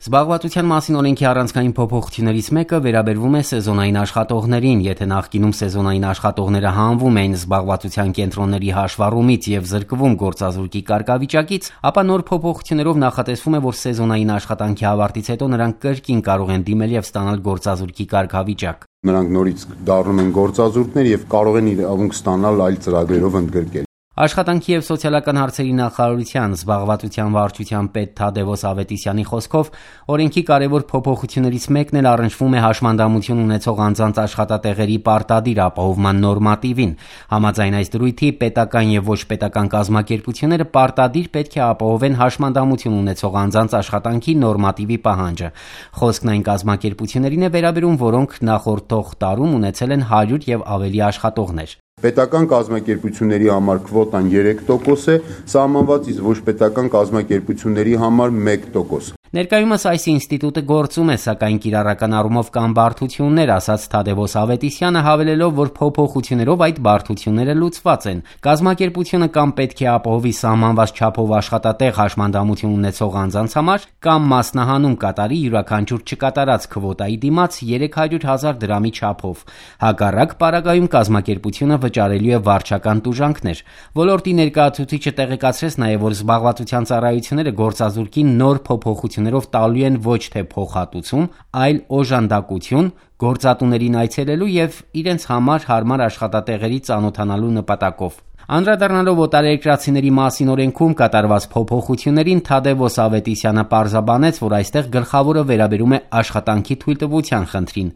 Զբաղվածության մասին օրենքի առանցքային փոփոխություններից մեկը վերաբերվում է սեզոնային աշխատողներին։ Եթե նախկինում սեզոնային աշխատողները հանվում էին զբաղվածության կենտրոնների հաշվառումից եւ զրկվում գործազուրկի կարգավիճակից, ապա նոր փոփոխություններով նախատեսվում է, որ սեզոնային աշխատանքի ավարտից հետո նրանք կրկին կարող են դիմել եւ ստանալ գործազուրկի կարգավիճակ։ Նրանք նորից դառնում են գործազուրկներ եւ կարող են իրավունք ստանալ այլ ծրագրերով ընդգրկել։ Աշխատանքի և սոցիալական հարցերի նախարարության զբաղվածության վարչության պետ Թադևոս Ավետիսյանի խոսքով օրենքի կարևոր փոփոխություններից մեկն էլ առնչվում է հաշմանդամություն ունեցող անձանց աշխատատեղերի պարտադիր ապահովման նորմատիվին։ Համաձայն այս դրույթի պետական և ոչ պետական կազմակերպությունները պարտադիր պետք է ապահովեն հաշմանդամություն ունեցող անձանց աշխատանքի նորմատիվի պահանջը։ Խոսքն այն կազմակերպություններին է վերաբերում, որոնք նախորդ տարում ունեցել են 100 և ավելի աշխատողներ։ Պետական կազմակերպությունների համար քվոտան 3% է, սահմանված, իսկ ոչ պետական կազմակերպությունների համար 1%։ Ներկայումս այս ինստիտուտը գործում է, սակայն կիրառական առումով կան բարդություններ, ասաց Թադևոս Ավետիսյանը, հավելելով, որ փոփոխություններով այդ բարդությունները լուծված են։ Կազմակերպությունը կամ պետք է ապահովի սահմանված չափով աշխատատեղ հաշմանդամություն ունեցող անձանց համար, կամ մասնահանում կատարի յուրաքանչյուր չկատարած քվոտայի դիմաց 300,000 դրամի չափով։ Հակառակ պարագայում կազմակերպությունը վճարելու է վարչական տուժանքներ։ Ոլորտի ներկայացուցիչը տեղեկացրեց նաև, որ զբաղվածության ծառայությունները գործազուրկին նոր փոփոխություններով տալու են ոչ թե փոխհատուցում, այլ օժանդակություն գործատուներին այցելելու և իրենց համար հարմար աշխատատեղերի ծանոթանալու նպատակով։ Անդրադառնալով օտարերկրացիների մասին օրենքում կատարված փոփոխություններին, Թադևոս Ավետիսյանը պարզաբանեց, որ այստեղ գլխավորը վերաբերում է աշխատանքի թույլտվության խնդրին։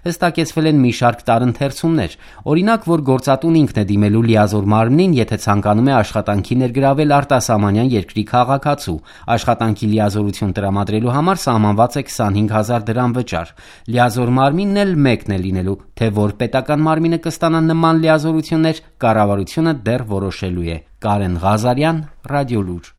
Հստակեցվել են մի շարք տարընթերցումներ։ Օրինակ, որ գործատուն ինքն է դիմելու լիազոր մարմնին, եթե ցանկանում է աշխատանքի ներգրավել արտասահմանյան երկրի քաղաքացու։ Աշխատանքի լիազորություն տրամադրելու համար սահմանված է 25,000 դրամ վճար։ Լիազոր մարմինն էլ մեկն է լինելու, թե որ պետական մարմինը կստանա նման լիազորություններ, կառավարությունը դեռ որոշելու է։ Կարեն Ղազարյան, Ռադիոլուր։